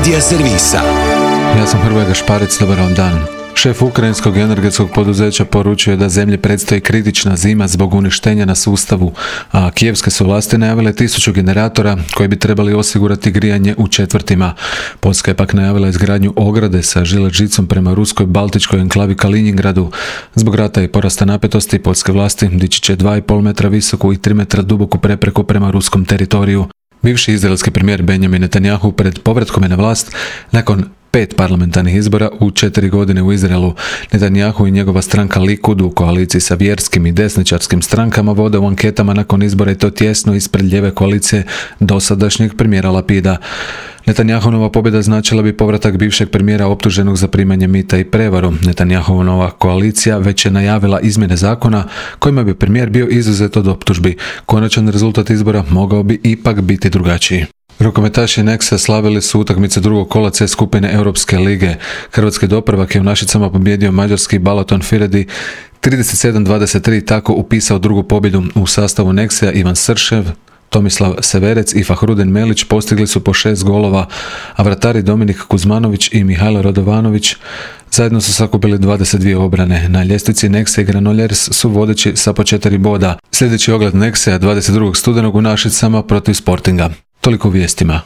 Medija servisa. Ja sam Hrvoje Gašparec, dobar vam dan. Šef ukrajinskog energetskog poduzeća poručuje da zemlji predstoji kritična zima zbog uništenja na sustavu, a kijevske su vlasti najavile 1000 generatora koji bi trebali osigurati grijanje u četvrtima. Poljska je pak najavila izgradnju ograde sa žilet žicom prema ruskoj baltičkoj enklavi Kaliningradu. Zbog rata i porasta napetosti poljske vlasti dići će 2,5 metra visoku i 3 metra duboku prepreku prema ruskom teritoriju. Bivši izraelski premijer Benjamin Netanjahu pred povratkom je na vlast nakon 5 parlamentarnih izbora u 4 godine u Izraelu. Netanjahu i njegova stranka Likud u koaliciji sa vjerskim i desničarskim strankama vode u anketama nakon izbora i to tjesno ispred lijeve koalicije dosadašnjeg premijera Lapida. Netanjahunova pobjeda značila bi povratak bivšeg premijera optuženog za primanje mita i prevaru. Netanjahunova koalicija već je najavila izmjene zakona kojima bi premijer bio izuzet od optužbi. Konačan rezultat izbora mogao bi ipak biti drugačiji. Rukometaši Nexa slavili su utakmice drugog kola C skupine Europske lige. Hrvatski doprvak je u Našicama pobijedio mađarski Balaton Firedi 37-23, tako upisao drugu pobjedu. U sastavu Nexa Ivan Sršev, Tomislav Severec i Fahrudin Melić postigli su po 6 golova, a vratari Dominik Kuzmanović i Mihajlo Radovanović zajedno su sakupili 22 obrane. Na ljestvici Nexa i Granollers su vodeći sa po 4 boda. Sljedeći ogled Nexa 22. studenog u Našicama protiv Sportinga. Toliko u vijestima.